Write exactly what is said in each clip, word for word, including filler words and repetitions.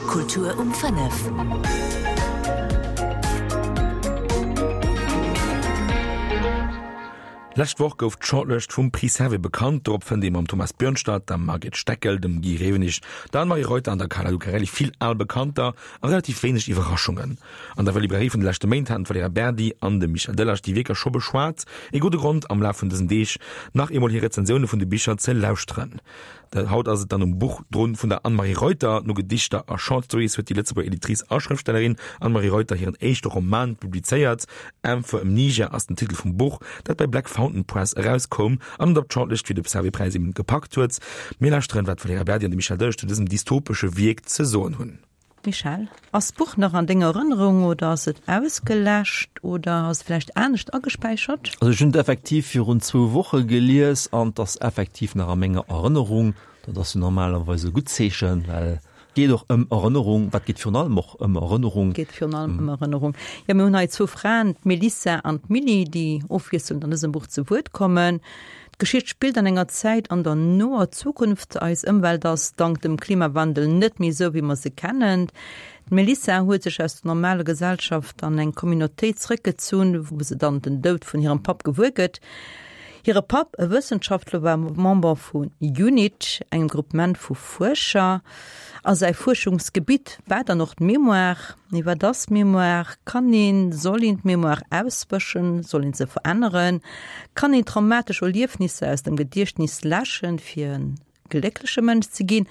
Kultur um fënnef. Lescht Woch gouf d'Shortlëscht vum Prix Servais bekannt. Dorop fënnt ee mam Thomas Björnstad, der Margit Steckel, dem Guy Rewenig, der Anne-Marie Reuter an der Carla Lucarelli vill al Bekannter a relativ wéineg Iwwerraschungen. An der Librairie vun de leschte Méint haten d'Valerija Berdi an de Michel Delage déi Wierker scho beschwat. Ee gudde Grond, am Laf vun dësen Deeg nach eemol hir Rezensioune vun de Bicher ze lauschteren. Haut ass et dann um Buch drun vun der Anne-Marie Reuter. No Gedichter a Short Stories huet déi Lëtzebuerger Editrice a Schrëftstellerin Anne-Marie Reuter hiren éischte Roman publizéiert. M for Amnesia ass den Titel vum Buch, dat bei Black Fountain Press erauskoum an et op d'Shortlist fir de Servais-Präis eben gepackt huet. Mir lauschteren, wat d'Valerija Berdi an de Michel Delage zu dësem dystopesche Wierk ze soen hunn. Michel, ass d'Buch nach an denger Erënnerung oder ass et ausgeläscht oder ass et vläicht anescht agespäichert? Also ech hunn et effektiv virun zwou Woche gelies an et ass effektiv nach a menger Erënnerung. Dat ass jo normalerweis e gutt Zeechen, well et geet och ëm Erënnerung. Wat geet virun allem och ëm Erënnerung. Geet virun allem ëm Erënnerung. Jo, mir hunn hei zwou Fraen, d'Melissa an d'Milly, déi ofwiesselnd an dësem Buch zu Wuert kommen. D'Geschicht spillt an enger Zäit an der noer Zukunft. Eis Ëmwelt ass dank dem Klimawandel net méi esou, wéi mer se kennen. D'Melissa huet sech aus der normaler Gesellschaft an eng Communautéit zréckgezunn, wou se dann den Doud vun hirem Papp gewuer gëtt. Hire Papp, e Wëssenschaftler, war Member vu UNIT, engem Gruppement vu Fuerscher. A säi Fuerschungsgebitt war dann och d'Mémoire. Mee wat ass Mémoire? Kann een, soll een d'Mémoire auswëschen? Soll een se veränneren? Kann een traumatesch Erliefnisser aus dem Gediechtnis läschen, fir e gléckleche Mënsch ze ginn?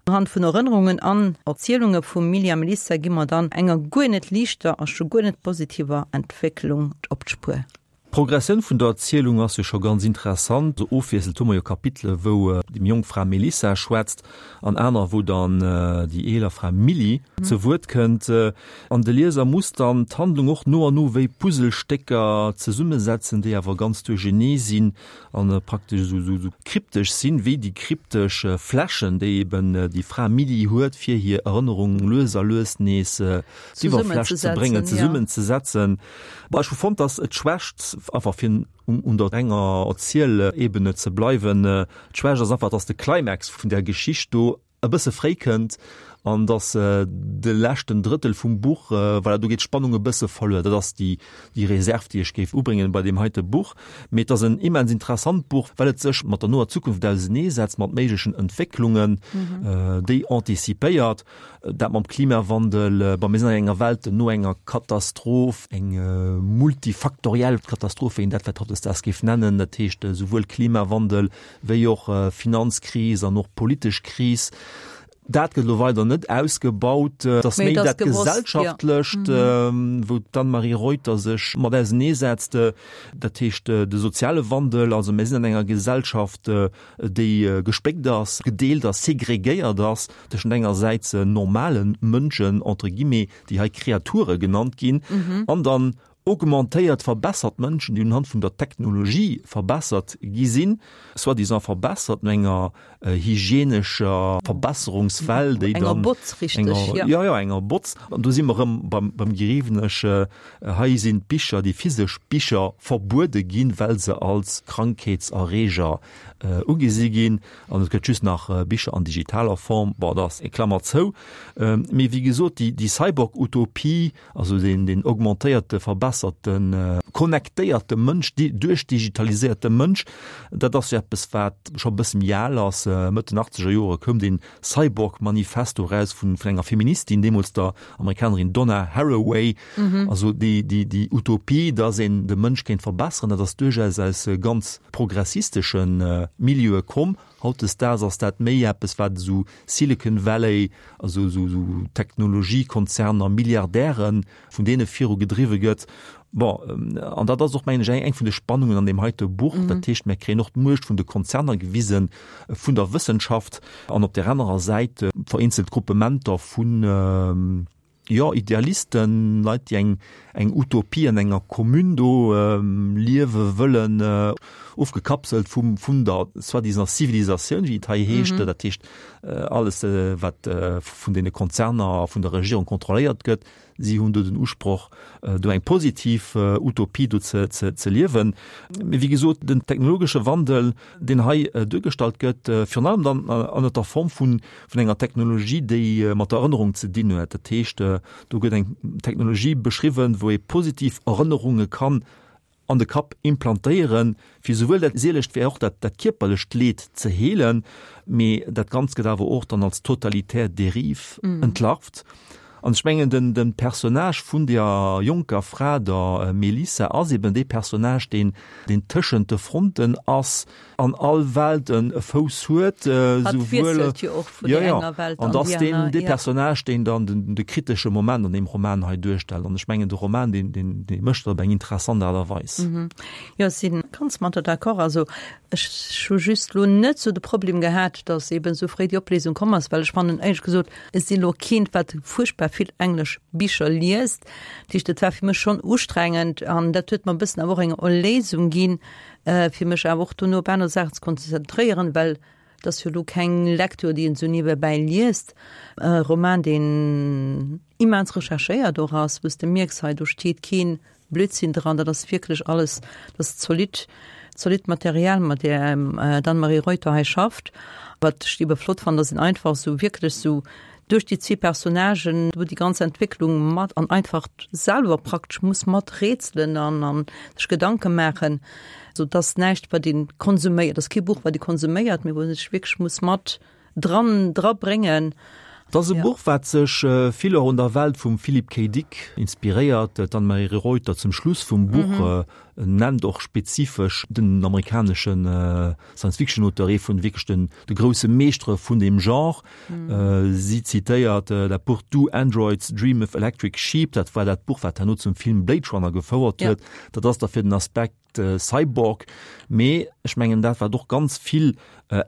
Unhand vun Erënnerungen an Erzielunge vum Milly a Melissa gi mer dann enger guer net liichter a scho guer net positiver Entwécklung op d'Spuer. D'Progressioun vun der Erzielung ass jo scho ganz interessant. Esou ofwiesselnd hu mer jo Kapitele wou déi méi jonk Fra Melissa schwätzt an aner wou dann déi eeler Fra Milly zu Wuert kënnt. An de Lieser muss dann d'Handlung och no an no wéi Puzzlestécker zesummesetzen, déi awer ganz duerchenee sinn an praktesch esou esou kryptesch sinn, wéi déi kryptesch Fläschen, déi eben déi Fra Milly huet, fir hir Erënnerung lues a lues nees d'Iwwerfläch ze bréngen, zesummenzesetzen. Bon, ech hu fonnt, dass et d'Schwächt, einfach fir un der renger Erzielebene ze bleiwen, d'Schwächt ass einfach, dass de Climax vun där Geschicht do e bësse fréi kënnt an dass de leschten Drëttel vum Buch, voilà, do geet d'Spannung e bësse verluer. Dat ass déi, déi Reserv, déi ech géif ubréngen bei deem heite Buch. Mee et ass en immens interessant Buch, well et sech mat der noer Zukunft auseneesetzt, mat méiglechen Entwécklungen, déi antizipéiert. Dat mam Klimawandel, bon, mir sinn an enger Welt no enger Katastroph, eng multifaktoriell Katastroph, wéi een dat vläicht hautdesdaags géif nennen, dat heescht esouwuel Klimawandel wéi och Finanzkris an och politesch Kris. Dat gëtt elo weider net ausgebaut. Et ass méi dat Gesellschaftlecht, wou d'Anne-Marie Reuter sech mat auseneesetzt, dat heescht de soziale Wandel. Also mir sinn an enger Gesellschaft, déi gespléckt ass, gedeelt ass, segregéiert ass tëschent engersäits normale Mënschen, entre guillemets, déi hei Kreature genannt ginn, an dann augmentéiert, verbessert Mënschen, déi unhand vun der Technologie verbessert gi sinn, soi-disant verbessert, no enger hygienescher Verbesserungswell, déi dann. Enger Botz, richteg, jo. Jo, jo, enger Botz. An do si mer erëm beim, beim Geriwenesch. Hei sinn d'Bicher, déi physesch Bicher verbuede ginn, well se als Krankheetserreeger ugesi ginn. An et gëtt just nach Bicher an digitaler Form. Bon, dat ass eng Klammer zou. Mee wéi gesot, déi, déi Cyborg-Utopie, also deen, deen augmentéierte, verbesserten, connectéierte Mënsch, duerchdigitaliséierte Mënsch, dat ass jo eppes, wat scho e bësse méi al ass. Mëtt den achtzeger Jore koum dee Cyborg-Manifesto eraus vun, vun enger Feministin, deemools der Amerikanerin Donna Haraway. Also déi, déi, déi Utopie, dass een de Mënsch kéint verbesseren, dat ass duerchaus aus ganz progressistesche Milieue komm. Hautdesdaags ass dat méi eppes, wat esou Silicon Valley, also esou Technologiekonzerner, Milliardären, vun deene viru gedriwwe gëtt. Bon, an dat ass och, mengen ech, eng vun de Spannungen an deem heite Buch. Dat heescht, mir kréien och d'Muecht vun de Konzerner gewisen, vun der Wëssenschaft an op där anerer Säit vereenzelt Gruppementer vun, jo, Idealisten, Leit, déi eng, eng Utopie an enger Commune do liewe wëllen, ofgekapselt vum, vun der soi-disant Zivilisatioun, wéi et hei heescht, dat heescht alles, wat vun deene Konzerner a vun der Regierung kontrolléiert gëtt. Si hunn do den Usproch, do eng positiv Utopie do ze, ze, ze liewen. Mee wéi gesot, den technologesche Wandel, deen hei duergestallt gëtt, virun allem dann ënnert der Form vun, vun enger Technologie, déi mat der Erënnerung ze dinn huet. Dat heescht, do gëtt eng Technologie beschriwwen, wou ee positiv Erënnerunge kann an de Kapp implantéieren, fir souwuel dat seelescht wéi och dat, dat kierperlecht Leed ze heelen. Mee dat Ganzt gëtt awer och dann als totalitär Dérive entlarvt. An ech mengen, den, den Personnage vun der jonker Fra, der Melissa, ass eben dee Personnage, deen, deen tëschent de Fronten ass, an all Welt en e Fouss huet, Hatt souwuel, wiesselt jo och vun ja, der ja, enger Welt an an ass déi deen, aner, dee ja. Personnage, deen dann den, de kritesche Moment an deem Roman hei duerstellt. An ech mengen, de Roman, deen, deen, dee mécht dat op eng interessant Aart a Weis. Jo, ech si ganz mat der d'accord. Also ech hu just lo net sou de Problem gehat, dass eben sou fréi déi Opléisung komm ass, well ech fannen éierlech gesot, ech sinn elo keent, wat fuerchtbar vill englesch Bicher liest. Dat heescht, et war fir mech schonn ustrengend an dat huet mer e bëssen awer och eng Erléisung ginn, fir mech awer och dono op aner Saachen ze konzentréieren, well et ass jo elo keng Lektür, déi een esou niewebäi liest. E Roman, deen immens recherchéiert och ass, wou s de mierks, hei do steet keen Blödsinn dran, dat ass wierklech alles, dat ass zolidd, zolidd Material, mat deem d'Anne-Marie Reuter hei schafft. Wat ech ebe flott fannen, dass een einfach esou wierklech esou duerch déi zwee Personnagen do déi ganz Entwécklung mat an einfach selwer praktesch muss mat rätselen an an sech Gedanke maachen, sou dass näischt wat een konsuméiert, ass kee Buch wat ee konsuméiert, mee wou ee sech wierklech muss mat dran dra bréngen. Et ass e Ja. Buch, wat sech vill och un der Welt vum Philip K. Dick inspiréiert. D'Anne-Marie Reuter zum Schluss vum Buch nennt och spezifesch den amerikanesche Science-Fiction-Auteur, ee vun wierklech den de grousse Meeschtere vun deem Genre. Si zitéiert dat Buch Do Androids Dream of Electric Sheep? Dat war dat Buch, wat herno zum Film Blade Runner gefouert huet. Dat ass da fir den Aspekt Cyborg. Mee ech mengen, dat wat och ganz vill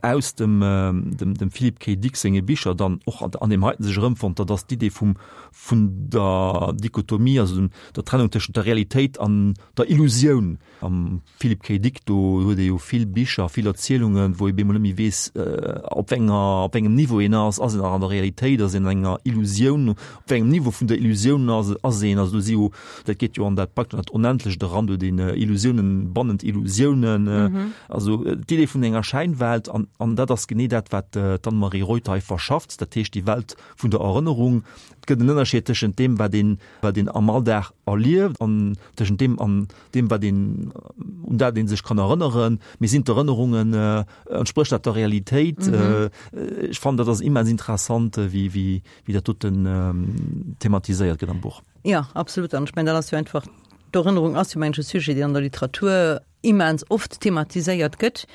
aus dem dem Philip K. Dick senge Bicher dann och an deem heiten sech erëmfonnt, dat ass d'Idee vum vun der Dichotomie, also dem der Trennung tëschent der Realitéit an der Illusioun. Am Philip K. Dick do huet ee jo vill Bicher, vill Erzielungen, wou ee bemol net méi weess, op wéi enger, op wéi engem Niveau een ass. Ass een nach an der Realitéit, ass een an enger Illusioun, op wéi engem Niveau vun der Illusioun ass ass een? Also do si jo, dat geet jo an dat praktesch an dat Onendlecht eran, do huet een Illusiounen bannent Illusiounen, also d'Idee vun enger Schäinwelt. An an dat ass genee dat, wat d'Anne-Marie Reuter hei verschafft, dat heescht déi Welt vun der Erënnerung. Et gëtt en Ënnerscheed tëschent deem, wat een, wat een am Alldag erlieft an tëschent deem an deem, wat een, un dat ee sech kann erënneren. Mee sinn d'Erënnerungen, entsprécht dat der Realitéit? Ech fannen, dat ass immens interessant, wéi, wéi, wéi dat doten thematiséiert gëtt am Buch. Jo, absolut. An ech mengen, dat ass jo einfach, d'Erënnerung ass jo, mengen ech, e Sujet, deen an der Literatur immens oft thematiséiert gëtt.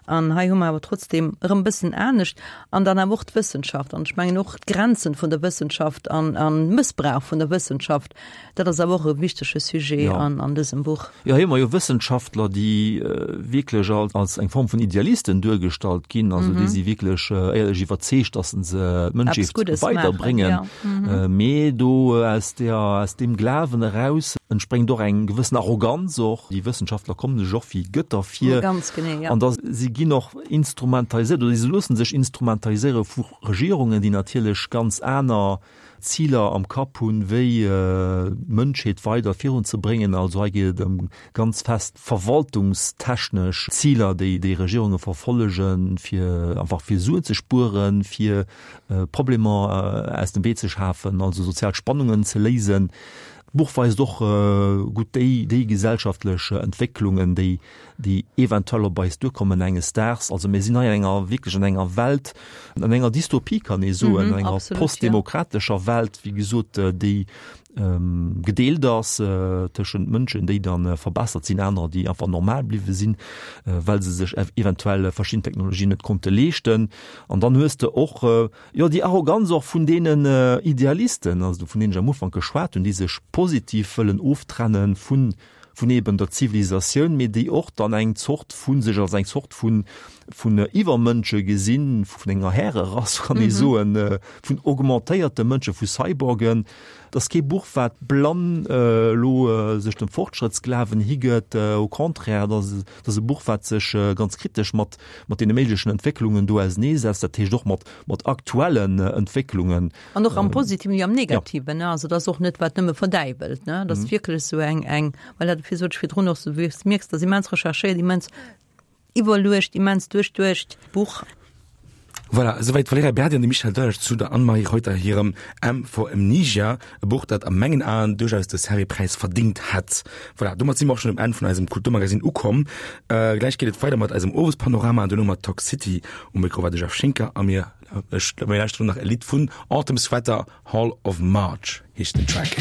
An hei hu mer awer trotzdem erëm e bëssen anescht. An dann awer och d'Wëssenschaft. An ech mengen och d'Grenzen vun der Wëssenschaft an an Mëssbrauch vun der Wëssenschaft, dat ass awer och e wichtege Sujet Ja. an an dësem Buch. Jo, hei hu mer jo Wëssenschaftler, déi wierklech als als eng Form vun Idealisten duergestallt ginn, also déi si wierklech éierlech iwwerzeegt, dass se Eppes d'Mënschheet Guddes maachen, weiderbréngen. ja. Mee do aus der aus deem Glawen eraus entspréngt och eng gewëssen Arroganz och. Déi Wëssenschaftler kommen sech och wéi Gëtter vir. Ganz genee, ja. An da si ginn och instrumentaliséiert oder si loosse sech instrumentaliséiere vu Regierungen, déi natierlech ganz aner Ziler am Kapp hunn, wéi d'Mënschheet weider virunzebréngen. Also hei geet et ëm ganz fest verwaltungstechnesch Ziler, déi déi Regierunge verfollegen, fir einfach fir Suen ze spueren, fir Problemer aus dem Wee ze schafen, also sozial Spannungen ze léisen. D'Buch weist och gutt déi, déi gesellschaftlech Entwécklungen, déi, déi eventuell op eis duerkommen enges Daags. Also mir sinn hei an enger, wierklech an enger Welt, an enger Dystopie kann ee soen, an enger postdemokratescher Welt, wéi gesot, déi gedeelt ass tëschent Mënschen, déi dann verbessert sinn, anerer, déi einfach normal bliwwe sinn, well se sech eventuell verschidden Technologien net konnte leeschten. An dann hues de och, jo, déi Arroganz och vun deenen Idealisten, also vun deenen ech am Ufank geschwat hunn, déi sech positiv wëllen oftrenne vun, vun eben der Zivilisatioun, mee déi och dann eng Zort vu sech als eng Zort vun vun Iwwermënsche gesinn, vun enger Härerass, kann ee soen, vun augmentéierte Mënsche, vu Cyborgen. Et ass kee Buch, wat blann elo sech dem Fortschrëttsglawen higëtt, au contraire, et ass et ass e Buch, wat sech ganz kritesch mat mat deene méiglechen Entwécklungen do auseneesetzt, dat heescht och mat mat aktuellen Entwécklungen. An och am Positiven wéi am Negativen, ne? Also et ass och net, wat nëmme verdäiwelt, ne? Et ass wierklech esou eng eng, well dat, wéi sot ech virdrun och, wéi s mierks, dat ass immens recherchéiert, immens iwwerluecht, immens duerchduecht Buch. Voilà, esouwäit d'Valerija Berdi an de Michel Delage zu der Anne-Marie Reuter hirem M for Amnesia, e Buch, dat a mengen Aen duerchaus de Servais-Präis verdingt hätt. Voilà, domat si mer och schonn um Enn vun eisem Kulturmagazin ukomm. Gläich geet et weider mat eisem Owespanorama an duerno mat Talk City. Um Mikro war de Jeff Schinker a mir, ech, mir lauschteren nach e Lidd vun Autumn Sweater, Hall of March heescht den Track.